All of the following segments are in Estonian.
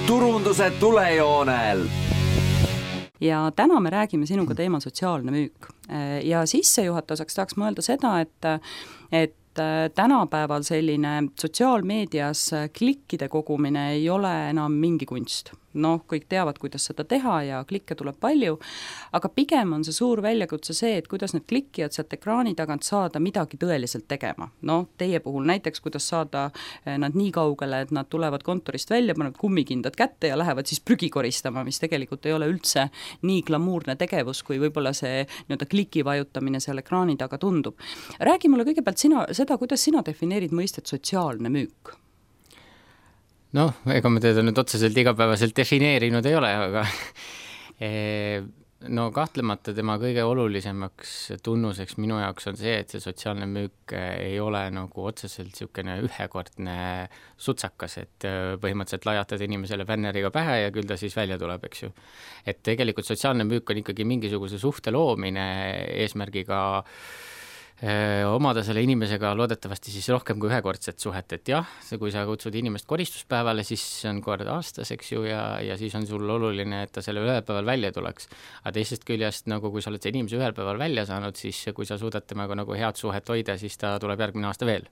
turunduse tulejoonel. Ja täna me räägime sinuga teemal sotsiaalne müük. Ja sissejuhatuseks tahaks mõelda seda, et tänapäeval selline sotsiaalmeedias klikkide kogumine ei ole enam mingi kunst. Kõik teavad, kuidas seda teha ja klikke tuleb palju, aga pigem on see suur väljakutse see, et kuidas need klikkijad sealt ekraani tagant saada midagi tõeliselt tegema. Teie puhul näiteks, kuidas saada nad nii kaugele, et nad tulevad kontorist välja, panevad kummikindad kätte ja lähevad siis prügi koristama, mis tegelikult ei ole üldse nii glamuurne tegevus, kui võib-olla see kliki vajutamine seal ekraani taga tundub. Räägi mulle kõigepealt seda, kuidas sina defineerid mõistet sotsiaalne müük? Ega me teda nüüd otseselt igapäevaselt defineerinud ei ole, aga kahtlemata tema kõige olulisemaks tunnuseks minu jaoks on see, et see sotsiaalne müük ei ole nagu otseselt niisugune ühekordne sutsakas, et põhimõtteliselt lajatad inimesele bänneriga pähe ja küll ta siis välja tuleb, eks ju. Et tegelikult sotsiaalne müük on ikkagi mingisuguse suhte loomine eesmärgiga omada selle inimesega loodetavasti siis rohkem kui ühekordset suhet, et jah, kui sa kutsud inimest koristuspäevale, siis see on kord aastas, eks ju, ja siis on sul oluline, et ta selle ühel päeval välja tuleks. Aga teisest küljest, kui sa oled see inimese ühel päeval välja saanud, siis kui sa suudad temaga nagu head suhet hoida, siis ta tuleb järgmine aasta veel.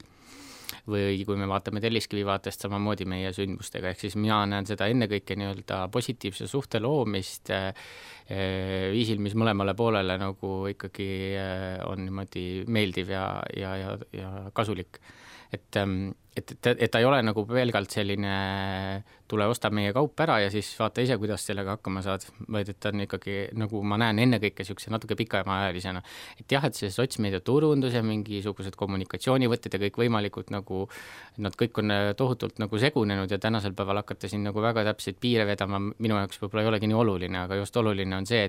Või kui me vaatame Telliskivi vaatest samamoodi meie sündmustega, ehk siis mina näen seda ennekõike nii-öelda positiivse suhte loomist viisil, mis mõlemale poolele nagu ikkagi on niimoodi meeldiv ja kasulik. Et ta ei ole nagu pelgalt selline tule osta meie kaup ära ja siis vaata ise, kuidas sellega hakkama saad, vaid et ta on ikkagi, nagu ma näen ennekõike niisuguse natuke pikemaajalisena. Et jah, et see sotsmeedia turundus ja mingisugused kommunikatsioonivõtted ja kõik võimalikud nagu, nad kõik on tohutult nagu segunenud ja tänasel päeval hakata siin nagu väga täpseid piire vedama, minu jaoks võib-olla ei olegi nii oluline, aga just oluline on see,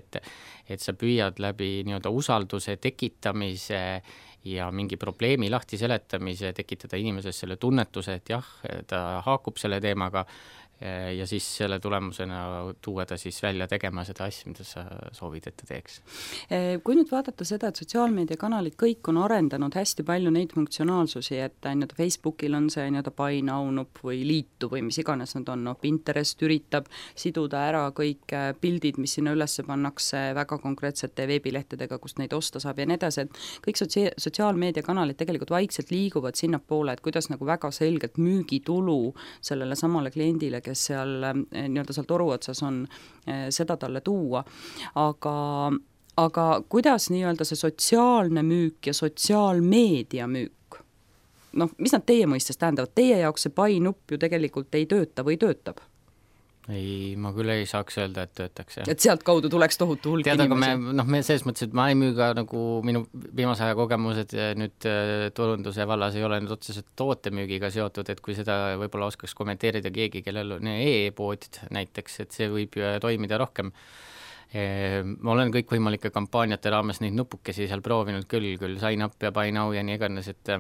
et sa püüad läbi nii-öelda usalduse tekitamise ja mingi probleemi lahti seletamise tekitada inimeses selle tunnetuse, et jah, ta haakub selle teemaga ja siis selle tulemusena tuua ta siis välja tegema seda asja, mida sa soovid, et ta teeks. Kui nüüd vaadata seda, et sotsiaalmeediakanalid kõik on arendanud hästi palju neid funktsionaalsusi, et Facebookil on see buy now nupp või liitu või mis iganes nad on, Pinterest üritab siduda ära kõik pildid, mis sinna üles pannakse väga konkreetsete veebilehtedega, kust neid osta saab ja nii edasi, et kõik sotsiaalmeediakanalid tegelikult vaikselt liiguvad sinnapoole, et kuidas nagu väga selgelt müügitulu sellele samale kliendile, kes seal toru otsas on, seda talle tuua. Aga kuidas see sotsiaalne müük ja sotsiaalmeedia müük? Mis nad teie mõistes tähendavad? Teie jaoks see buy nupp ju tegelikult ei tööta või töötab? Ei, ma küll ei saaks öelda, et töötaks. Jah. Et sealt kaudu tuleks tohutu hulk inimesi. Aga me selles mõttes, et ma ei müü ka nagu minu viimase aja kogemused nüüd turunduse vallas ei ole nüüd otseselt tootemüügiga seotud, et kui seda võib-olla oskaks kommenteerida keegi, kellel on e-pood näiteks, et see võib ju toimida rohkem. Ma olen kõik võimalike kampaaniate raames neid nupukesi seal proovinud küll sign up ja buy now ja nii iganes, et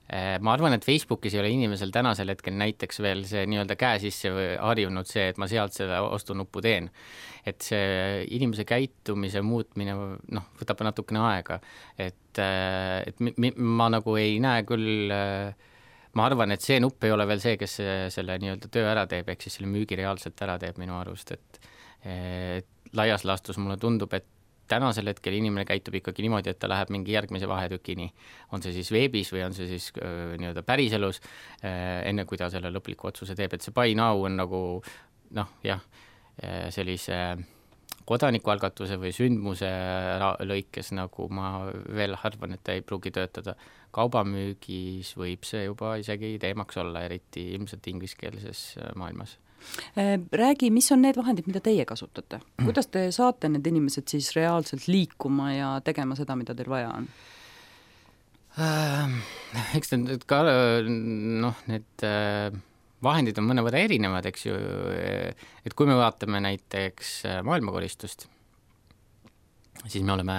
ma arvan, et Facebookis ei ole inimesel tänasel hetkel näiteks veel see nii-öelda käe sisse harjunud see, et ma sealt selle ostunuppu teen. Et see inimese käitumise muutmine võtab natukene aega. Et ma nagu ei näe küll, ma arvan, et see nupp ei ole veel see, kes selle nii-öelda töö ära teeb, ehk siis selle müügi reaalselt ära teeb minu arust. Et laias laastus mulle tundub, et tänasel hetkel inimene käitub ikkagi niimoodi, et ta läheb mingi järgmise vahetükini. On see siis veebis või on see siis nii-öelda päriselus, enne kui ta selle lõpliku otsuse teeb. Et see buy now on nagu, sellise kodanikualgatuse või sündmuse lõikes, nagu ma veel arvan, et ta ei pruugi töötada. Kaubamüügis võib see juba isegi teemaks olla, eriti ilmselt ingliskeelses maailmas. Räägi, mis on need vahendid, mida teie kasutate? Kuidas te saate need inimesed siis reaalselt liikuma ja tegema seda, mida teil vaja on? Eks need ka, need vahendid on mõnevõrra erinevad, eks ju, et kui me vaatame näiteks maailmakoristust, siis me oleme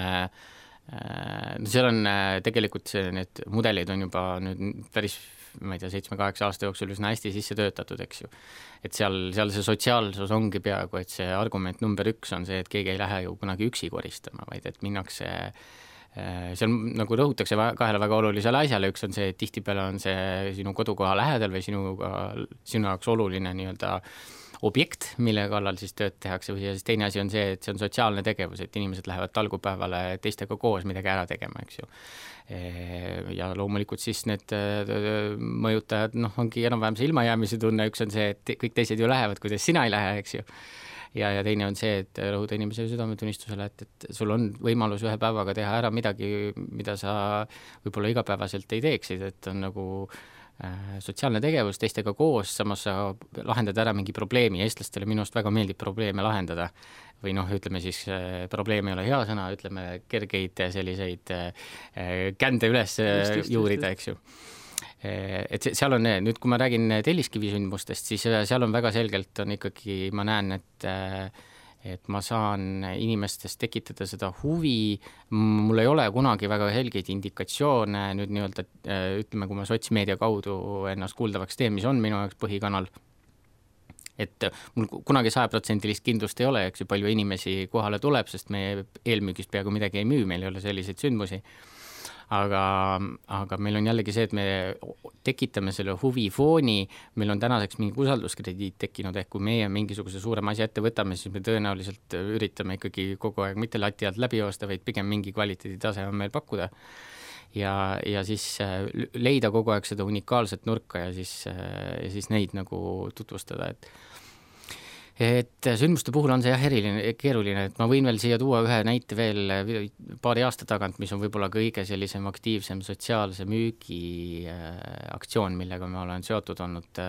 seal on tegelikult need mudelid on juba nüüd päris, ma ei tea, 7-8 aasta jooksul üsna hästi sisse töötatud, eks ju. Et seal see sotsiaalsus ongi peaaegu, et see argument number 1 on see, et keegi ei lähe ju kunagi üksi koristama, vaid et minnakse, seal nagu rõhutakse kahele väga olulisele asjale, üks on see, et tihtipeale on see sinu kodukoha lähedal või sinu jaoks oluline nii-öelda objekt, mille kallal siis tööd tehakse, või siis teine asi on see, et see on sotsiaalne tegevus, et inimesed lähevad talgupäevale teistega koos midagi ära tegema, eks ju. Ja loomulikult siis need mõjutajad, ongi enam-vähem see ilmajäämise tunne, üks on see, et kõik teised ju lähevad, kuidas sina ei lähe, eks ju. Ja teine on see, et rõhuda inimese südametunnistusele, et sul on võimalus ühe päevaga teha ära midagi, mida sa võib-olla igapäevaselt ei teeksid, et on nagu sotsiaalne tegevus teistega koos, samas sa lahendad ära mingi probleemi, eestlastele minust väga meeldib probleeme lahendada. Või ütleme siis, probleem ei ole hea sõna, ütleme kergeid selliseid kände üles juurida, eks ju. Et seal on, nüüd kui ma räägin Telliskivi sündmustest, siis seal on väga selgelt on ikkagi, ma näen, et ma saan inimestest tekitada seda huvi, mul ei ole kunagi väga helgeid indikatsioone, nüüd nii-öelda, ütleme, kui ma sotsmeedia kaudu ennast kuuldavaks teen, mis on minu jaoks põhikanal, et mul kunagi 100% kindlust ei ole, eks ju, palju inimesi kohale tuleb, sest meie eelmüügist peaaegu midagi ei müü, meil ei ole selliseid sündmusi. Aga meil on jällegi see, et me tekitame selle huvifooni, meil on tänaseks mingi usalduskrediit tekkinud, ehk kui meie mingisuguse suurema asja ette võtame, siis me tõenäoliselt üritame ikkagi kogu aeg mitte lati alt läbi joosta, vaid pigem mingi kvaliteeditase on meil pakkuda. Ja siis leida kogu aeg seda unikaalset nurka ja siis neid nagu tutvustada, et sündmuste puhul on see eriline, keeruline, et ma võin veel siia tuua ühe näite veel paari aasta tagant, mis on võib-olla kõige sellisem aktiivsem sotsiaalse müügi aktsioon, millega me olen seotud olnud,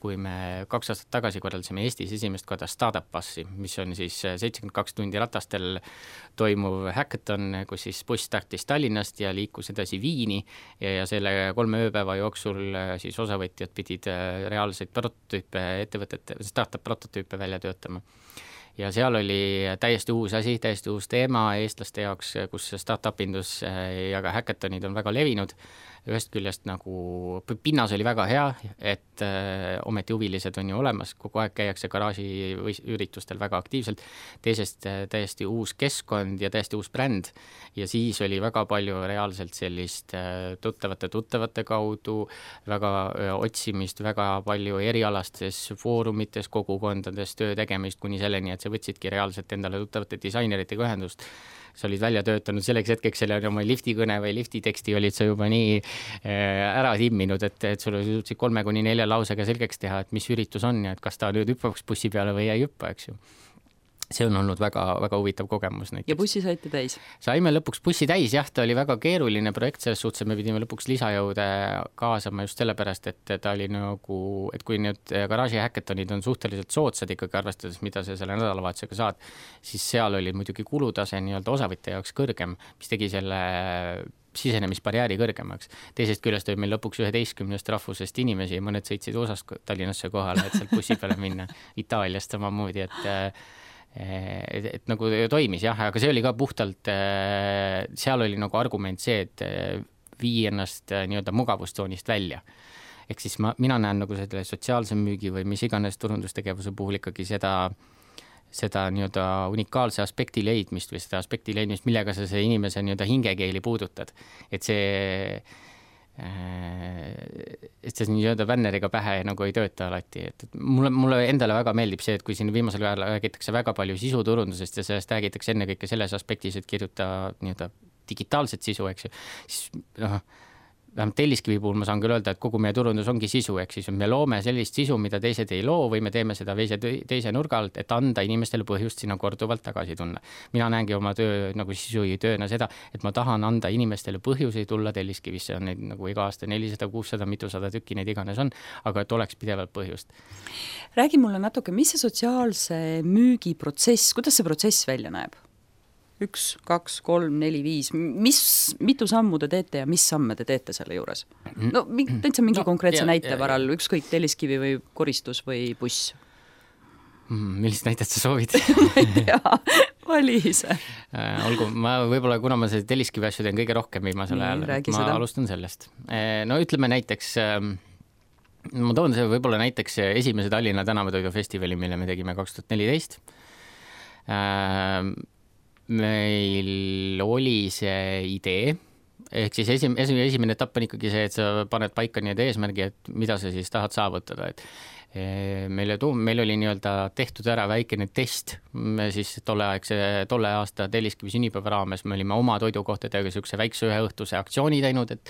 kui me 2 aastat tagasi korraldasime Eestis esimest korda Startup Bussi, mis on siis 72 tundi ratastel toimuv hackathon, kus siis buss startis Tallinnast ja liikus edasi Viini ja selle 3 ööpäeva jooksul siis osavõtjad pidid reaalseid prototüüpe ettevõtete, startup prototüüpe välja töötama. Ja seal oli täiesti uus asi, täiesti uus teema eestlaste jaoks, kus startup-indus ja ka hackathonid on väga levinud. Ühest küljest nagu pinnas oli väga hea, et ometi huvilised on ju olemas, kogu aeg käiakse garaaži üritustel väga aktiivselt, teisest täiesti uus keskkond ja täiesti uus bränd ja siis oli väga palju reaalselt sellist tuttavate kaudu, väga otsimist, väga palju erialastes foorumites, kogukondades töö tegemist kuni selleni, et sa võtsidki reaalselt endale tuttavate disaineritega ühendust. Sa olid välja töötanud selleks hetkeks selle oma liftikõne või liftiteksti olid sa juba nii ära timminud, et sulle suutsid 3-4 lausega selgeks teha, et mis üritus on ja et kas ta nüüd hüppaks bussi peale või ei hüppa, eks ju. See on olnud väga, väga huvitav kogemus näiteks. Ja bussi saite täis? Saime lõpuks bussi täis, jah, ta oli väga keeruline projekt, selles suhtes me pidime lõpuks lisajõude kaasama just sellepärast, et ta oli nagu, et kui nüüd garaaži hackathonid on suhteliselt soodsad ikkagi arvestades, mida sa selle nädalavahetusega saad, siis seal oli muidugi kulutase nii-öelda osavõtja jaoks kõrgem, mis tegi selle sisenemisbarjääri kõrgemaks. Teisest küljest oli meil lõpuks 11 rahvusest inimesi ja mõned sõitsid osast Tallinnasse kohale, et sealt bussi peale minna. Itaaliast samamoodi, et nagu toimis jah, aga see oli ka puhtalt, seal oli nagu argument see, et vii ennast nii-öelda mugavustsoonist välja. Ehk siis mina näen nagu selle sotsiaalse müügi või mis iganes turundustegevuse puhul ikkagi seda nii-öelda unikaalse aspekti leidmist või seda aspekti leidmist, millega sa see inimese nii-öelda hingekeeli puudutad. Et see nii-öelda vänneriga pähe nagu ei tööta alati. Et mulle endale väga meeldib see, et kui siin viimasel ajal räägitakse väga palju sisuturundusest ja sellest räägitakse ennekõike selles aspektis, et kirjuta nii-öelda digitaalset sisu, eks ju, siis vähemalt Telliskivi puhul ma saan küll öelda, et kogu meie turundus ongi sisu, ehk siis me loome sellist sisu, mida teised ei loo või me teeme seda teise nurga alt, et anda inimestele põhjust sinna korduvalt tagasi tunna. Mina näengi oma töö nagu sisu tööna seda, et ma tahan anda inimestele põhjusi tulla Telliskivisse, on neid nagu iga aasta 400, 600, mitusada tükki neid iganes on, aga et oleks pidevalt põhjust. Räägi mulle natuke, mis see sotsiaalse müügi protsess, kuidas see protsess välja näeb? 1, 2, 3, 4, 5, mitu sammu te teete ja mis samme te teete selle juures? No täitsa mingi konkreetse näite varal, ükskõik Telliskivi või koristus või buss. Millist näitet sa soovid? Ma ei tea, vali ise. Olgu, võib-olla kuna ma see Telliskivi asju teen kõige rohkem viimasel ajal, ma alustan sellest. No ütleme näiteks, ma toon see võib-olla näiteks esimese Tallinna tänavatoidufestivali, mille me tegime 2014. Meil oli see idee, ehk siis esimene etapp on ikkagi see, et sa paned paika need eesmärgi, et mida sa siis tahad saavutada, meil oli nii-öelda tehtud ära väikene test, me siis tolle aasta Telliskivi sünnipäeva raames me olime oma toidukohtadega niisuguse väikse üheõhtuse aktsiooni teinud, et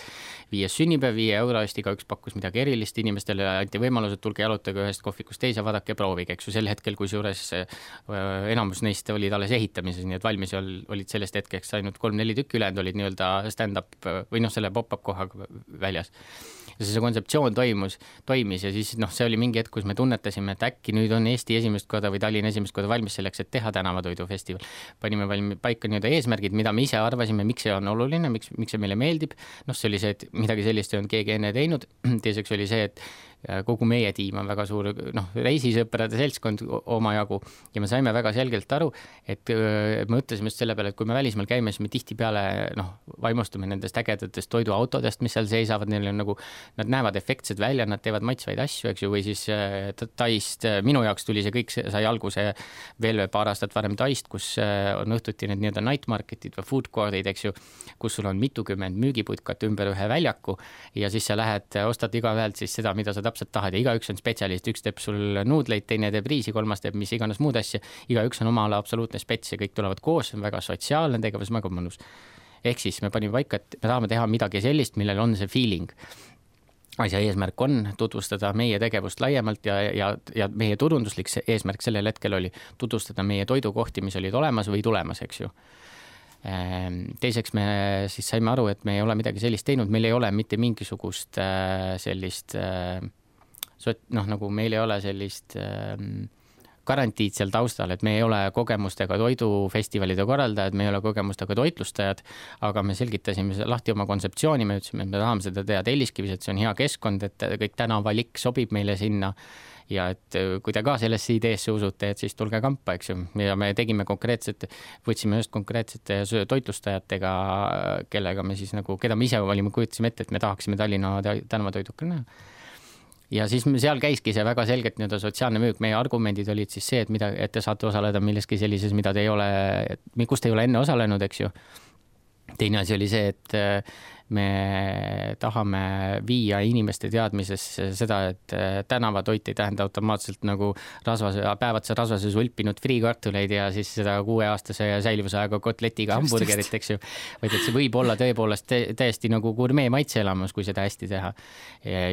5. sünnipäev 5 euro eest, igaüks pakkus midagi erilist, inimestele anti võimalus, et tulge jalutage ühest kohvikust teise, vaadake, proovige, eks ju, sel hetkel, kusjuures enamus neist olid alles ehitamises, nii et valmis olid sellest hetkeks ainult 3-4 tükki, ülejäänud olid nii-öelda stand-up või selle pop-up kohaga väljas. Ja see kontseptsioon toimis ja siis see oli mingi hetk, kus me tunnetasime, et äkki nüüd on Eesti esimest korda või Tallinna esimest korda valmis selleks, et teha tänavatoidufestival. Panime paika nii-öelda eesmärgid, mida me ise arvasime, miks see on oluline, miks see meile meeldib. See oli see, et midagi sellist ei olnud keegi enne teinud. Teiseks oli see, et kogu meie tiim on väga suur reisisõprade seltskond omajagu ja me saime väga selgelt aru, et me mõtlesime just selle peale, et kui me välismaal käime, siis me tihtipeale vaimustume nendest ägedatest toiduautodest, mis seal seisavad, neil on nad näevad efektsed välja, nad teevad maitsvaid asju, eks ju, või siis Taist, minu jaoks tuli see kõik, sai alguse veel paar aastat varem Taist, kus on õhtuti need nii-öelda night marketid või food court'id, eks ju, kus sul on mitukümmend müügiputkat ümber ühe väljaku ja siis sa lähed, ostad igaühelt siis seda, mida sa täpselt tahad ja igaüks on spetsialist, üks teeb sul nuudleid, teine teeb riisi, kolmas teeb mis iganes muud asja, igaüks on oma ala absoluutne spets ja kõik tulevad koos, on väga sotsiaalne tegevus, väga mõnus. Ehk siis me panime paika, et me tahame teha midagi sellist, millel on see feeling. Asja eesmärk on tutvustada meie tegevust laiemalt ja meie turunduslik eesmärk sellel hetkel oli tutvustada meie toidukohti, mis olid olemas või tulemas, eks ju. Teiseks me siis saime aru, et me ei ole midagi sellist teinud, meil ei ole mitte mingisugust sellist nagu meil ei ole sellist garantiid seal taustal, et me ei ole kogemustega toidufestivalide korraldajad, me ei ole kogemustega toitlustajad, aga me selgitasime lahti oma kontseptsiooni, me ütlesime, et me tahame seda teha Telliskivis, et see on hea keskkond, et kõik tänavalik sobib meile sinna ja et kui te ka sellesse ideesse usute, et siis tulge kampa, eks ju. Ja me tegime võtsime just konkreetsete toitlustajatega, kellega me siis keda me ise kujutasime ette, et me tahaksime Tallinna tänavatoidukal näha. Ja siis seal käiski see väga selgelt sotsiaalne müük. Meie argumendid olid siis see, et te saate osaleda milleski sellises, kus te ei ole enne osalenud, eks ju. Teine asi oli see, et me tahame viia inimeste teadmisesse seda, et tänavatoit ei tähenda automaatselt nagu päevatse rasvases ulpinud friikartuleid ja siis seda 6-aastase säilivusaega kotletiga hamburgerit, eks ju. Vaid et see võib olla tõepoolest täiesti nagu gurmee maitseelamus, kui seda hästi teha.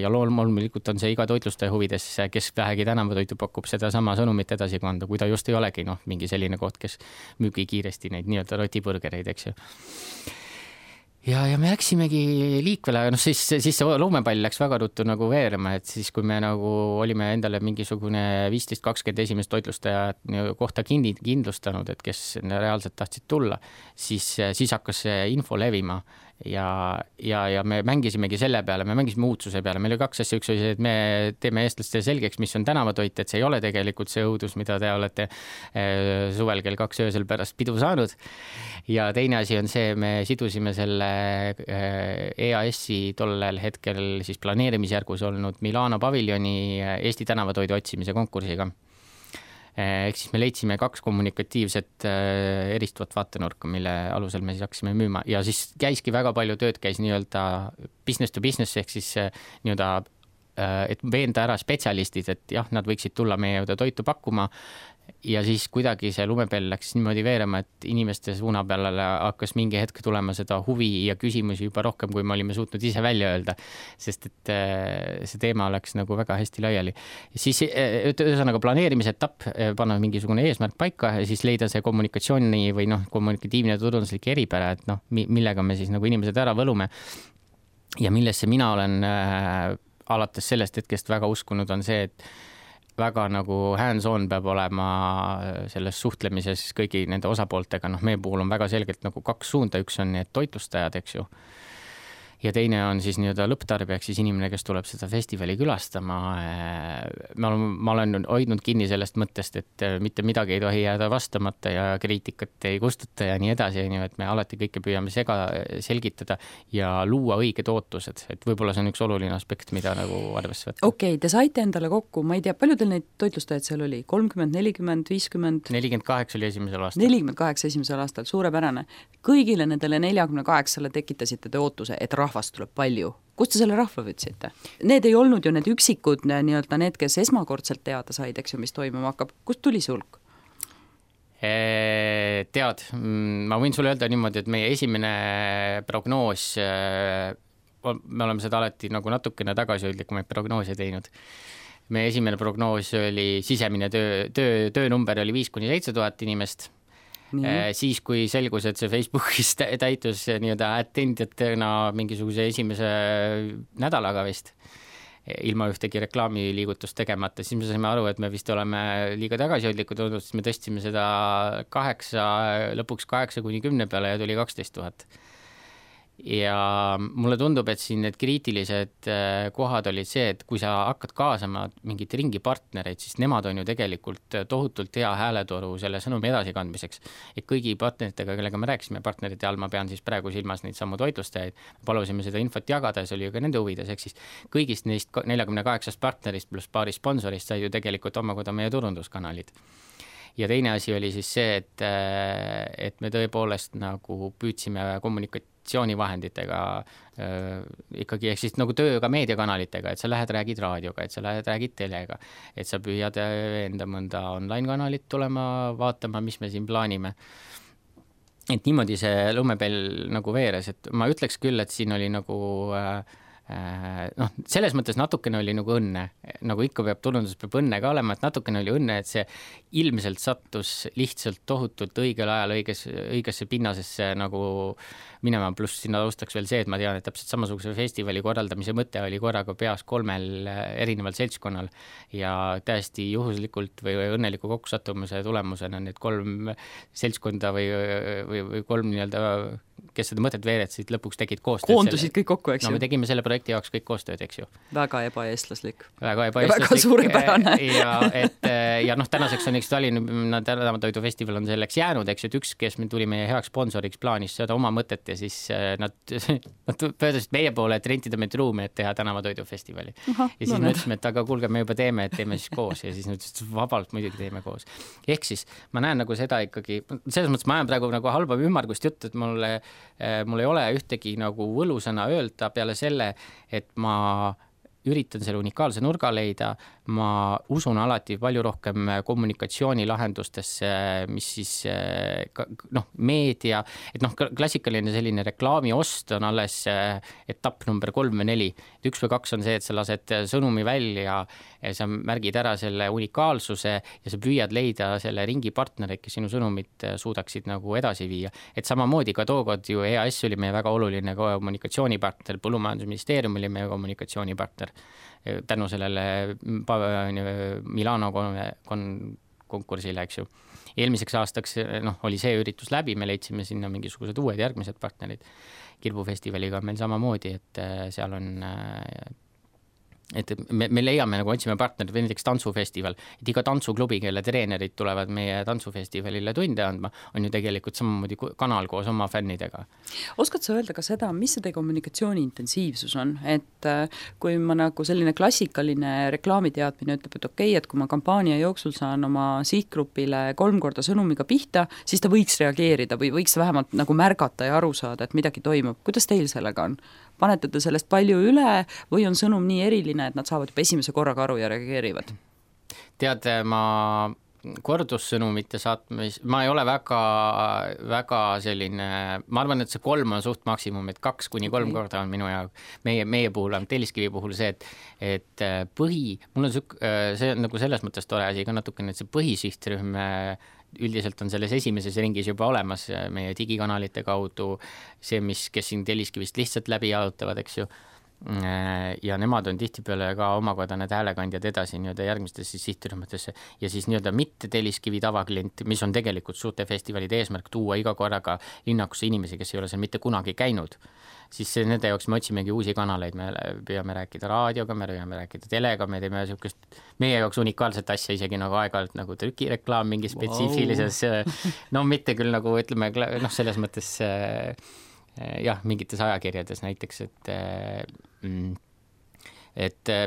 Ja loomulikult on see iga toitlustaja huvides, kes vähegi tänavatoitu pakub seda sama sõnumit edasi kanda, kui ta just ei olegi mingi selline koht, kes müügi kiiresti neid nii-öelda rotiburgereid, eks ju. Ja me läksimegi liikvele, siis see luumepall läks väga ruttu veerema, et siis kui me olime endale mingisugune 15-20 esimest toitlustaja kohta kindlustanud, et kes reaalselt tahtsid tulla, siis hakkas see info levima ja me mängisimegi selle peale, me mängisime uudsuse peale, meil oli 2 asja, üks oli see, et me teeme eestlastele selgeks, mis on tänavatoit, et see ei ole tegelikult see õudus, mida te olete suvel kell 2 öösel pärast pidu saanud. Ja teine asi on see, me sidusime selle EAS-i tollel hetkel siis planeerimisjärgus olnud Milano paviljoni Eesti tänavatoidu otsimise konkursiga. Ehk siis me leidsime 2 kommunikatiivset eristuvat vaatenurka, mille alusel me siis hakkasime müüma ja siis käiski väga palju tööd, käis nii-öelda business to business ehk siis nii-öelda, et veenda ära spetsialistid, et jah, nad võiksid tulla meie juurde toitu pakkuma ja siis kuidagi see lumepell läks niimoodi veerema, et inimeste suuna peale hakkas mingi hetk tulema seda huvi ja küsimusi juba rohkem, kui me olime suutnud ise välja öelda, sest et see teema läks väga hästi laiali. Siis ühesõnaga planeerimise etapp, panna mingisugune eesmärk paika ja siis leida see kommunikatsiooni või kommunikatiivne turunduslik eripära, et millega me siis inimesed ära võlume ja millesse mina olen alates sellest hetkest väga uskunud on see, et väga hands-on peab olema selles suhtlemises kõigi nende osapooltega. Meie puhul on väga selgelt 2 suunda, üks on need toitlustajad, eks ju. Ja teine on siis nii-öelda lõpptarbijaks siis inimene, kes tuleb seda festivali külastama. Ma olen hoidnud kinni sellest mõttest, et mitte midagi ei tohi jääda vastamata ja kriitikat ei kustuta ja nii edasi, et me alati kõike püüame selgitada ja luua õiged ootused. Et võib-olla see on üks oluline aspekt, mida arvesse võtta. Okei, te saite endale kokku, ma ei tea, palju teil neid toitlustajaid seal oli? 30, 40, 50? 48 oli esimesel aastal. 48 esimesel aastal, suurepärane. Kõigile nendele 48-le tekitasite te ootuse, et rahvast tuleb palju. Kust te selle rahva võtsite? Need ei olnud ju need üksikud nii-öelda need, kes esmakordselt teada said, eks ju, mis toimuma hakkab. Kust tuli see hulk? Tead, ma võin sulle öelda niimoodi, et meie esimene prognoos, me oleme seda alati nagu natukene tagasihoidlikumaid prognoose teinud. Meie esimene prognoos oli sisemine töönumber oli 5-7 tuhat inimest. Siis, kui selgus, et see Facebookis täitus nii-öelda attendijatena mingisuguse esimese nädalaga vist, ilma ühtegi reklaamiliigutust tegemata, siis me saime aru, et me vist oleme liiga tagasihoidlikud olnud, siis me tõstsime seda lõpuks 8-10 peale ja tuli 12 000. Ja mulle tundub, et siin need kriitilised kohad olid see, et kui sa hakkad kaasama mingit ringi partnereid, siis nemad on ju tegelikult tohutult hea hääletoru selle sõnumi edasikandmiseks. Et kõigi partneritega, kellega me rääkisime partnerite all, ma pean siis praegu silmas neid sammu toitlustajaid, palusime seda infot jagada ja see oli ju ka nende huvides, ehk siis kõigist neist 48 partnerist pluss paari sponsorist sai ju tegelikult omakorda meie turunduskanalid. Ja teine asi oli siis see, et me tõepoolest nagu püüdsime kommunikatsioonivahenditega ikkagi, ehk siis nagu tööga meediakanalitega, et sa lähed räägid raadioga, et sa lähed räägid telega, et sa püüad enda mõnda online-kanalit tulema vaatama, mis me siin plaanime. Et niimoodi see lumepell nagu veeres, et ma ütleks küll, et siin oli nagu selles mõttes natukene oli nagu õnne, nagu ikka turundus peab õnne ka olema, et natukene oli õnne, et see ilmselt sattus lihtsalt tohutult õigel ajal õigesse pinnasesse nagu minema, pluss sinna taustaks veel see, et ma tean, et täpselt samasuguse festivali korraldamise mõte oli korraga peas 3 erineval seltskonnal ja täiesti juhuslikult või õnneliku kokkusattumuse tulemusena need 3 seltskonda või 3 nii-öelda, kes seda mõtet veeretsid, lõpuks tegid koostööd. Koondusid kõik kokku, eks ju? No me tegime selle projekti jaoks kõik koostööd, eks ju. Väga ebaeestlaslik. Väga suurepärane. ja tänaseks on Tänavatoidu festival on selleks jäänud, eks ju, et üks, kes tuli meie heaks sponsoriks plaanis seda oma mõtet ja siis nad pöördusid meie poole, et rentida meid ruumi, et teha Tänavatoidu festivali. Ja siis me ütlesime, et aga kuulge, me juba teeme, et teeme siis koos ja siis nad ütlesid, vabalt muidugi teeme koos. Ehk siis ma näen nagu seda ikkagi, selles mõttes ma ajan praegu nagu halba ümmargust juttu, et mul ei ole ühtegi nagu võlusõna öelda peale selle, et ma üritan selle unikaalse nurga leida, ma usun alati palju rohkem kommunikatsioonilahendustesse, mis siis meedia, et klassikaline selline reklaami ost on alles etapp number 3 või 4. 1 või 2 on see, et sa lased sõnumi välja, sa märgid ära selle unikaalsuse ja sa püüad leida selle ringi partnereid, kes sinu sõnumit suudaksid nagu edasi viia. Et samamoodi ka tookord ju EAS oli meie väga oluline kommunikatsioonipartner, Põllumajandusministeerium oli meie kommunikatsioonipartner tänu sellele Milano konkursile, eks ju. Eelmiseks aastaks oli see üritus läbi, me leidsime sinna mingisugused uued järgmised partnerid. Kirbufestivaliga meil samamoodi, et seal on et me leiame, nagu otsime partnerid, või näiteks tantsufestival, et iga tantsuklubi, kelle treenerid tulevad meie tantsufestivalile tunde andma, on ju tegelikult samamoodi kanal koos oma fännidega. Oskad sa öelda ka seda, mis see kommunikatsiooni intensiivsus on? Et kui ma nagu selline klassikaline reklaamiteadmine ütleb, et okei, et kui ma kampaania jooksul saan oma sihtgrupile 3 korda sõnumiga pihta, siis ta võiks reageerida või võiks vähemalt nagu märgata ja aru saada, et midagi toimub. Kuidas teil sellega on? Panete te sellest palju üle või on sõnum nii eriline, et nad saavad juba esimese korraga aru ja reageerivad? Tead, ma kordussõnumite saatmis, ma ei ole väga selline, ma arvan, et see 3 on suht maksimum, et 2-3 korda on minu jaoks, meie puhul on Telliskivi puhul see, et mul on see on nagu selles mõttes tore asi ka natukene, et see põhisihtrühm üldiselt on selles esimeses ringis juba olemas meie digikanalite kaudu, see, kes siin Telliskivist lihtsalt läbi jaotavad, eks ju, ja nemad on tihtipeale ka omakorda need häälekandjad edasi nii-öelda järgmistesse sihtrühmadesse ja siis nii-öelda mitte Telliskivi tavaklient, mis on tegelikult suurte festivalide eesmärk tuua iga korraga linnakusse inimesi, kes ei ole seal mitte kunagi käinud, siis nende jaoks me otsimegi uusi kanaleid, me püüame rääkida raadioga, me püüame rääkida telega, me teeme meie jaoks unikaalset asja isegi nagu aeg-ajalt nagu trükireklaam mingi spetsiifilises, mitte küll nagu ütleme, selles mõttes mingites ajakirjades näiteks, et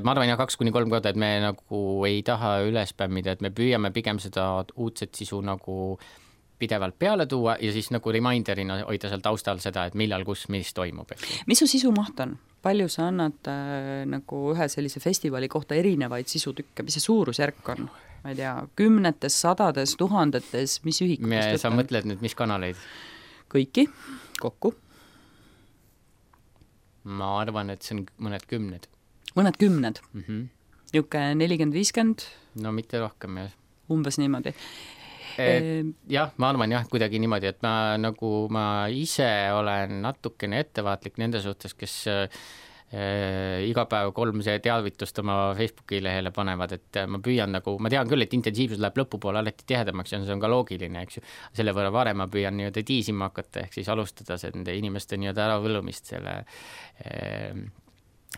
ma arvan 2-3 korda, et me nagu ei taha üle spämmida, et me püüame pigem seda uudset sisu nagu pidevalt peale tuua ja siis nagu reminderina hoida seal taustal seda, et millal, kus, mis toimub. Mis su sisumaht on? Palju sa annad nagu ühe sellise festivali kohta erinevaid sisutükke, mis see suurusjärk on? Ma ei tea, 10, 100, 1000, mis ühikutest? Sa mõtled nüüd, mis kanaleid? Kõiki, kokku. Ma arvan, et see on mõned 10. Mõned 10? Niuke 40-50? No mitte rohkem, jah. Umbes niimoodi. Jah, ma arvan jah, kuidagi niimoodi, et ma ise olen natukene ettevaatlik nende suhtes, kes iga päev 3 teavitust oma Facebooki lehele panevad, et ma püüan nagu, ma tean küll, et intensiivsus läheb lõpupoole alati tihedamaks ja see on ka loogiline, eks ju. Selle võrra varem ma püüan nii-öelda tiisima hakata, ehk siis alustada nende inimeste nii-öelda äravõlumist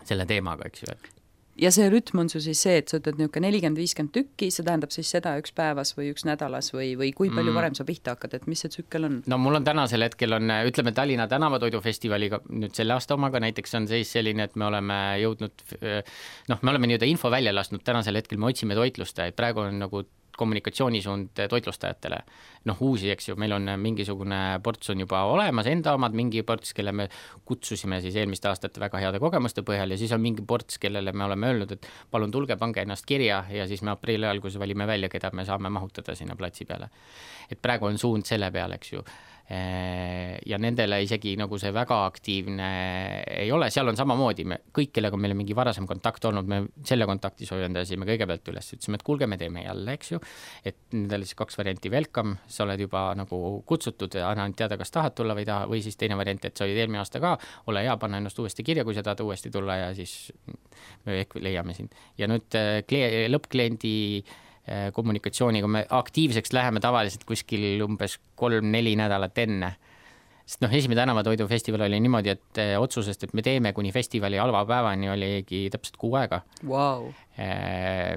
selle teemaga, eks ju. Ja see rütm on su siis see, et sa ütled niisugune 40-50 tükki, see tähendab siis seda üks päevas või üks nädalas või kui palju varem sa pihta hakkad, et mis see tsükkel on? No mul on tänasel hetkel ütleme Tallinna tänavatoidufestivaliga, nüüd selle aasta omaga näiteks on seis selline, et me oleme jõudnud, me oleme nii-öelda info välja lasknud, tänasel hetkel me otsime toitlustajaid, praegu on nagu kommunikatsioonisuund toitlustajatele. Uusi, eks ju, meil on mingisugune ports on juba olemas, enda omad, mingi ports, kelle me kutsusime siis eelmiste aastate väga heade kogemuste põhjal ja siis on mingi ports, kellele me oleme öelnud, et palun tulge, pange ennast kirja ja siis me aprilli alguses valime välja, keda me saame mahutada sinna platsi peale. Et praegu on suund selle peale, eks ju. Ja nendele isegi nagu see väga aktiivne ei ole, seal on samamoodi, kõik, kellega meil on mingi varasem kontakt olnud, me selle kontakti soojendasime kõigepealt üles, ütlesime, et kuulge, me teeme jälle, eks ju, et nendele siis 2 varianti welcome, sa oled juba nagu kutsutud, anna teada, kas tahad tulla või taha, või siis teine variant, et sa olid eelmine aasta ka, ole hea, panna ennast uuesti kirja, kui sa tahad uuesti tulla ja siis me ehk leiame sind. Ja nüüd lõppkliendi kommunikatsiooniga me aktiivseks läheme tavaliselt kuskil umbes 3-4 nädalat enne. Sest esimene tänavatoidufestival oli niimoodi, et otsusest, et me teeme kuni festivali alvapäevani oligi täpselt 6 aega. Wow.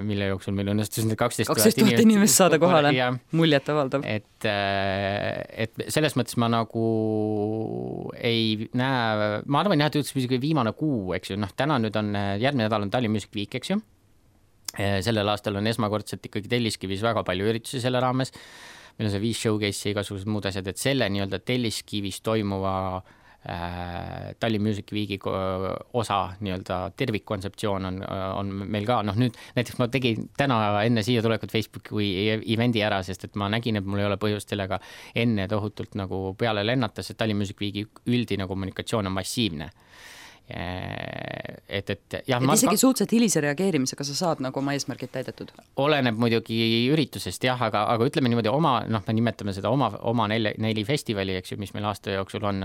Mille jooksul meil õnnestus 12 000 inimest saada kohale. Muljet avaldav. Et selles mõttes ma nagu ei näe, ma arvan jah, et üldse viimane kuu, eks ju, täna nüüd on, järgmine nädal on Tallinn Music Week, eks ju. Sellel aastal on esmakordselt ikkagi Telliskivis väga palju üritusi selle raames. Meil on see 5 showcase ja igasugused muud asjad, et selle nii-öelda Telliskivis toimuva Tallinn Music Weeki osa nii-öelda tervikkontseptsioon on meil ka. Nüüd näiteks ma tegin täna enne siia tulekut Facebooki või evendi ära, sest et ma nägin, et mul ei ole põhjust sellega enne tohutult nagu peale lennata, sest Tallinn Music Weeki üldine kommunikatsioon on massiivne. Et isegi suhteliselt hilise reageerimisega sa saad nagu oma eesmärgid täidetud? Oleneb muidugi üritusest, jah, aga ütleme niimoodi me nimetame seda oma 4 festivali, eks ju, mis meil aasta jooksul on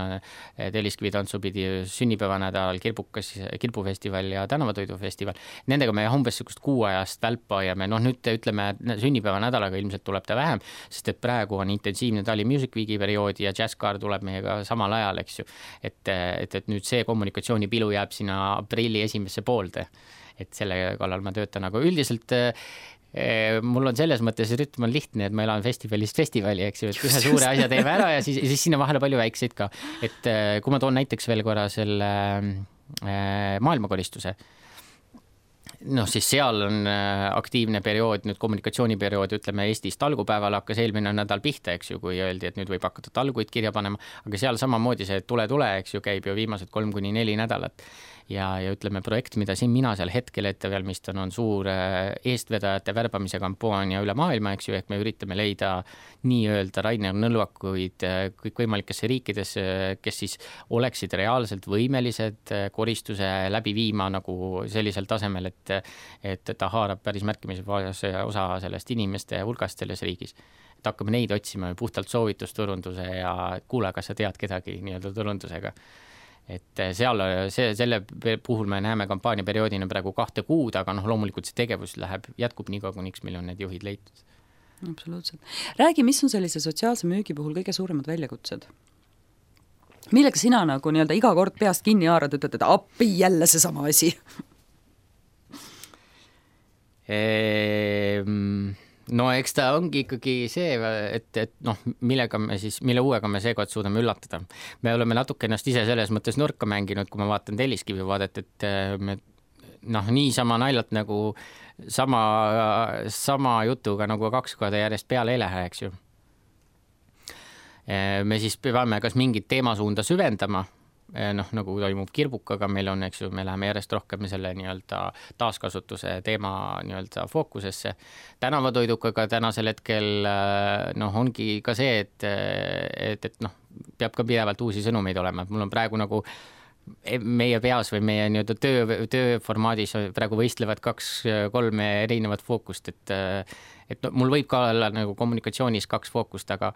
Telliskivi tantsupidi, sünnipäevanädal, Kirpufestival ja tänavatoidufestival. Nendega me umbes sükust 6 ajast välpa ja me nüüd ütleme sünnipäevanädalaga ilmselt tuleb ta vähem, sest et praegu on intensiivne Tallinn Music Weeki periood ja Jazzcar tuleb meiega samal ajal, eks ju, et nüüd see kommunikatsiooni pilu jääb sinna aprilli esimesse poolde, et selle kallal ma töötan, aga üldiselt mul on selles mõttes rütm on lihtne, et ma elan festivalist festivali, eks ju, et ühe suure asja teeme ära ja siis sinna vahele palju väikseid ka, et kui ma toon näiteks veel korra selle maailmakoristuse, siis seal on aktiivne periood, nüüd kommunikatsiooniperiood, ütleme Eestis talgupäeval hakkas eelmine nädal pihta, eks ju, kui öeldi, et nüüd võib hakata talguid kirja panema, aga seal samamoodi see tule, eks ju, käib ju viimased 3-4 nädalat. Ja ütleme, projekt, mida siin mina seal hetkel ette valmistan, on suur eestvedajate värbamise kampaania üle maailma, eks ju, ehk me üritame leida nii-öelda Rainer Nõlvakuid kõikvõimalikesse riikidesse, kes siis oleksid reaalselt võimelised koristuse läbi viima nagu sellisel tasemel, et ta haarab päris märkimise osa sellest inimeste hulgast selles riigis. Et hakkame neid otsima puhtalt soovitusturunduse ja kuule, kas sa tead kedagi nii-öelda turundusega. Et selle puhul me näeme kampaaniaperioodina praegu 2 kuud, aga loomulikult see tegevus jätkub nii kaua, kuniks meil on need juhid leitud. Absoluutselt. Räägi, mis on sellise sotsiaalse müügi puhul kõige suuremad väljakutsed? Millega sina nagu nii-öelda iga kord peast kinni haarad, ütled, et appi jälle see sama asi? No eks ta ongi ikkagi see, et mille uuega me seekord suudame üllatada. Me oleme natuke ennast ise selles mõttes nurka mänginud, kui ma vaatan Telliskivi vaadet, et me niisama naljalt nagu sama jutuga nagu 2 korda järjest peale ei lähe, eks ju. Me siis peame kas mingit teemasuunda süvendama, nagu toimub Kirbukaga, meil on, eks ju, me läheme järjest rohkem selle nii-öelda taaskasutuse teema nii-öelda fookusesse. Tänavatoidukaga tänasel hetkel ongi ka see, et peab ka pidevalt uusi sõnumeid olema. Mul on praegu nagu meie peas või meie nii-öelda tööformaadis praegu võistlevad 2-3 erinevat fookust, et mul võib ka olla nagu kommunikatsioonis 2 fookust, aga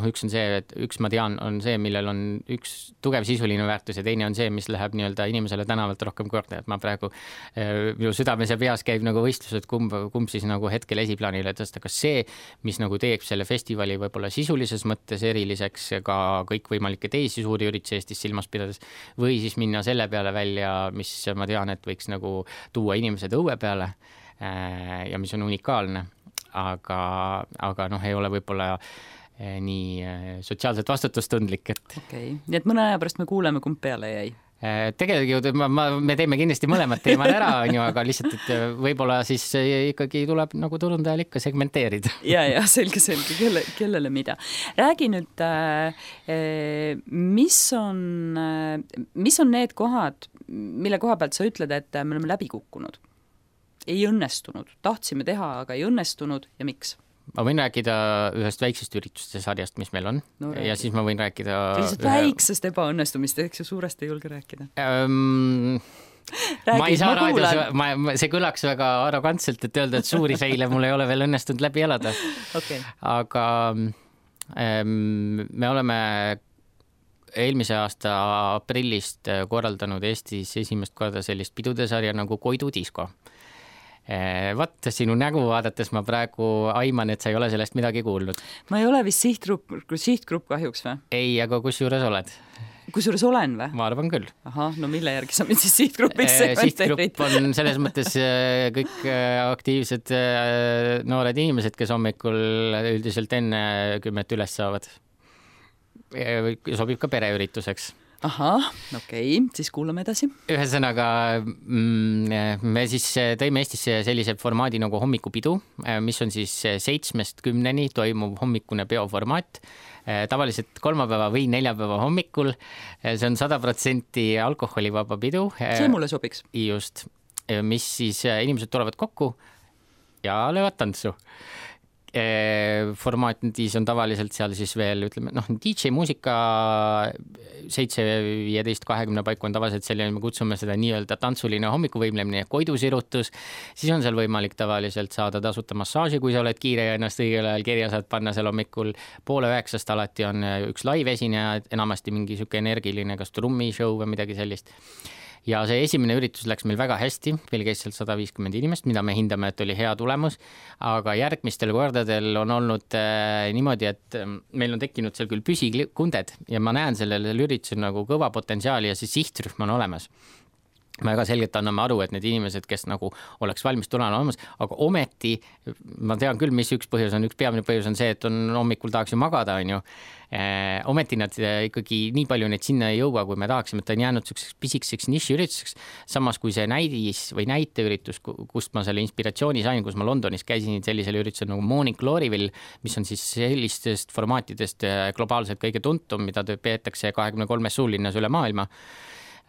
üks on see, et üks ma tean, on see, millel on üks tugev sisuline väärtus ja teine on see, mis läheb nii-öelda inimesele tänavalt rohkem korda, et ma praegu minu südames ja peas käib nagu võistlus, et kumb siis nagu hetkel esiplaanile tõsta, kas see, mis nagu teeb selle festivali võib-olla sisulises mõttes eriliseks ka kõikvõimalikke teisi suuri üritusi Eestis silmas pidades, või siis minna selle peale välja, mis ma tean, et võiks nagu tuua inimesed õue peale ja mis on unikaalne. Aga ei ole võib-olla nii sotsiaalselt vastutustundlik, et okei. Nii et mõne aja pärast me kuuleme, kumb peale jäi. Tegelikult me teeme kindlasti mõlemad teemad ära, aga lihtsalt, et võib-olla siis ikkagi tuleb nagu turundajal ikka segmenteerida. Ja, selge, kellele mida. Räägi nüüd, mis on need kohad, mille koha pealt sa ütled, et me oleme läbi kukkunud? Ei õnnestunud. Tahtsime teha, aga ei õnnestunud ja miks? Ma võin rääkida ühest väiksest ürituste sarjast, mis meil on. No, ja siis ma võin rääkida väiksest ebaõnnestumist, eks ju suurest ei julge rääkida. Ma ei saa raadios, see kõlaks väga arrogantselt, et öelda, et suuri feile mul ei ole veel õnnestunud läbi elada. Okay. Aga me oleme eelmise aasta aprillist korraldanud Eestis esimest korda sellist pidude sarja nagu Koidu disko. Sinu nägu vaadates ma praegu aiman, et sa ei ole sellest midagi kuulnud. Ma ei ole vist sihtgrupp kahjuks või? Ei, aga kusjuures oled. Kusjuures olen või? Ma arvan küll. Aha, no mille järgi sa mind siis sihtgrupisse sihtgrupp on selles mõttes kõik aktiivsed noored inimesed, kes hommikul üldiselt enne 10 üles saavad. Sobib ka pereürituseks. Ahah, okei, siis kuulame edasi. Ühesõnaga, me siis tõime Eestisse sellise formaadi nagu hommikupidu, mis on siis 7-10 toimuv hommikune peoformaat. Tavaliselt kolmapäeva või neljapäeva hommikul. See on 100% alkoholivaba pidu. See mulle sobiks. Just, mis siis inimesed tulevad kokku ja löövad tantsu. Formaatides on tavaliselt seal siis veel, ütleme, DJ muusika 7-15-20 paiku on tavaliselt selline, me kutsume seda nii-öelda tantsuline hommikuvõimlemine ja koidusirutus, siis on seal võimalik tavaliselt saada tasuta massaaži, kui sa oled kiire ja ennast õigel ajal kirja saad panna seal hommikul 8:30 alati on üks live-esineja, enamasti mingi siuke energiline, kas trummishow või midagi sellist. Ja see esimene üritus läks meil väga hästi, meil käis seal 150 inimest, mida me hindame, et oli hea tulemus, aga järgmistel kordadel on olnud niimoodi, et meil on tekkinud seal küll püsikunded ja ma näen sellele üritusel nagu kõva potentsiaali ja see sihtrühm on olemas. Me väga selgelt anname aru, et need inimesed, kes nagu oleks valmis tulema olemas, aga ometi, ma tean küll, mis üks peamine põhjus on see, et on hommikul tahaks ju magada, on ju. Ometi nad ikkagi nii palju neid sinna ei jõua, kui me tahaksime, et ta on jäänud pisikeseks nišiürituseks. Samas kui see näidis või näiteüritus, kust ma selle inspiratsiooni sain, kus ma Londonis käisin sellisel üritusel nagu Morning Gloryville, mis on siis sellistest formaatidest globaalselt kõige tuntum, mida peetakse 23 suurlinnas üle maailma.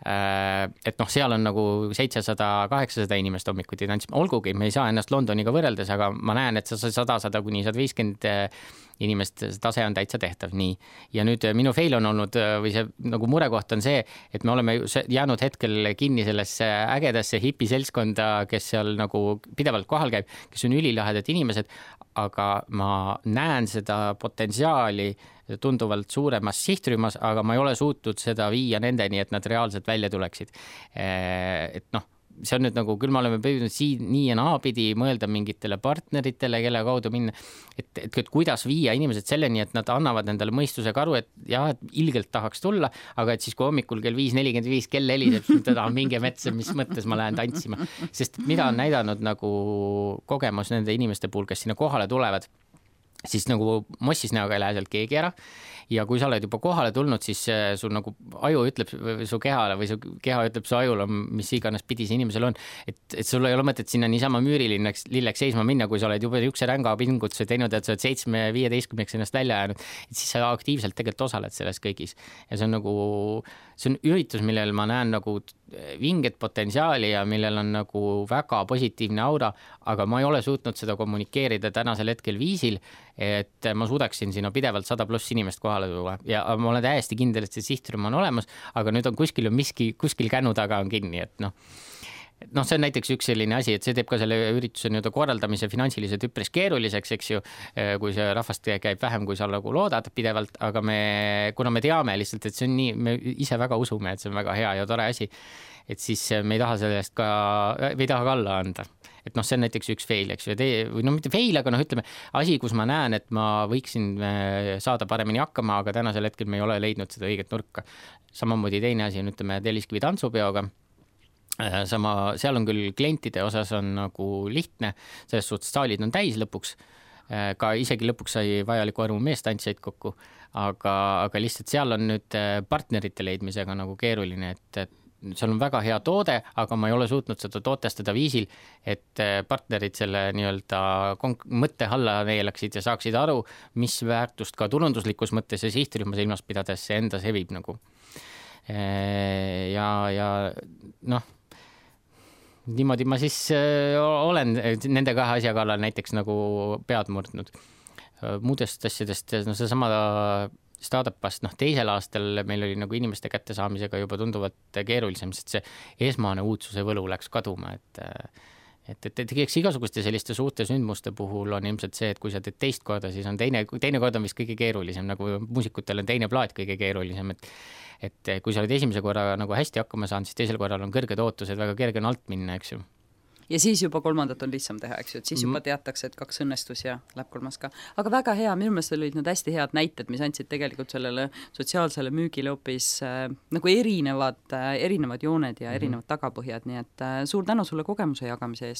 Et seal on nagu 700-800 inimest hommikuti tantsima. Olgugi, me ei saa ennast Londoniga võrreldes, aga ma näen, et 100 kuni 150 inimest tase on täitsa tehtav. Nii. Ja nüüd minu fail on olnud, või see nagu murekoht on see, et me oleme jäänud hetkel kinni sellesse ägedasse hipiseltskonda, kes seal nagu pidevalt kohal käib, kes on ülilahedad inimesed, aga ma näen seda potentsiaali tunduvalt suuremas sihtrühmas, aga ma ei ole suutnud seda viia nendeni, et nad reaalselt välja tuleksid. Et see on nüüd nagu, küll me oleme püüdnud siin nii ja naapidi mõelda mingitele partneritele, kelle kaudu minna, et kuidas viia inimesed selleni, et nad annavad endale mõistusega aru, et jah, et ilgelt tahaks tulla, aga et siis kui hommikul kell 5:45 kell heliseb, teda on mingi metsa, mis mõttes ma lähen tantsima. Sest mida on näidanud nagu kogemus nende inimeste puhul, kes sinna kohale tulevad, siis nagu mossis näoga ei lähe sealt keegi ära ja kui sa oled juba kohale tulnud, siis sul nagu aju ütleb su kehale või su keha ütleb su ajule, mis iganes pidi see inimesel on, et sul ei ole mõtet sinna niisama müürililleks seisma minna, kui sa oled juba üks ränga pingutuse teinud, et sa oled 7-15 ennast välja jäänud, et siis sa aktiivselt tegelikult osaled selles kõigis. Ja see on üritus, millel ma näen nagu vinget potentsiaali ja millel on nagu väga positiivne aura, aga ma ei ole suutnud seda kommunikeerida tänasel hetkel viisil, et ma suudaksin sinna pidevalt 100+ inimest kohale tuua ja ma olen täiesti kindel, et see sihtrühm on olemas, aga nüüd on kuskil kännu taga on kinni, et see on näiteks üks selline asi, et see teeb ka selle ürituse nii-öelda korraldamise finantsiliselt üpris keeruliseks, eks ju, kui see rahvast käib vähem, kui sa nagu loodad pidevalt, aga kuna me teame lihtsalt, et see on nii, me ise väga usume, et see on väga hea ja tore asi, et siis me ei taha sellest ka, me ei taha ka alla anda. Et see on näiteks üks fail, eks ju, või mitte fail, aga ütleme, asi, kus ma näen, et ma võiksin saada paremini hakkama, aga tänasel hetkel me ei ole leidnud seda õiget nurka. Samamoodi teine asi on, ütleme, Telliskivi tantsupeoga. Seal on küll klientide osas on nagu lihtne, selles suhtes saalid on täis lõpuks, ka isegi lõpuks sai vajaliku arvu meestantsijaid kokku, aga lihtsalt seal on nüüd partnerite leidmisega nagu keeruline, et seal on väga hea toode, aga ma ei ole suutnud seda tootestada viisil, et partnerid selle nii-öelda mõtte alla neelaksid ja saaksid aru, mis väärtust ka turunduslikus mõttes ja sihtrühma silmas pidades see enda sevib nagu. Ja niimoodi ma siis olen nende kahe asja kallal näiteks nagu pead murdnud. Muudest asjadest, see sama startupast, teisel aastal meil oli nagu inimeste kättesaamisega juba tunduvalt keerulisem, sest see esmane uudsuse võlu läks kaduma, et igasuguste selliste suurte sündmuste puhul on ilmselt see, et kui sa teed teist korda, siis on teine kord on vist kõige keerulisem, nagu muusikutel on teine plaat kõige keerulisem, et kui sa oled esimese korra nagu hästi hakkama saanud, siis teisel korral on kõrged ootused, väga kerge on alt minna, eks ju. Ja siis juba kolmandat on lihtsam teha, eks ju, et siis juba teatakse, et 2 õnnestus ja läheb 3 ka. Aga väga hea, minu meelest olid need hästi head näited, mis andsid tegelikult sellele sotsiaalsele müügile hoopis nagu erinevad jooned ja erinevad tagapõhjad, nii et suur tänu sulle kogemuse jagamise eest.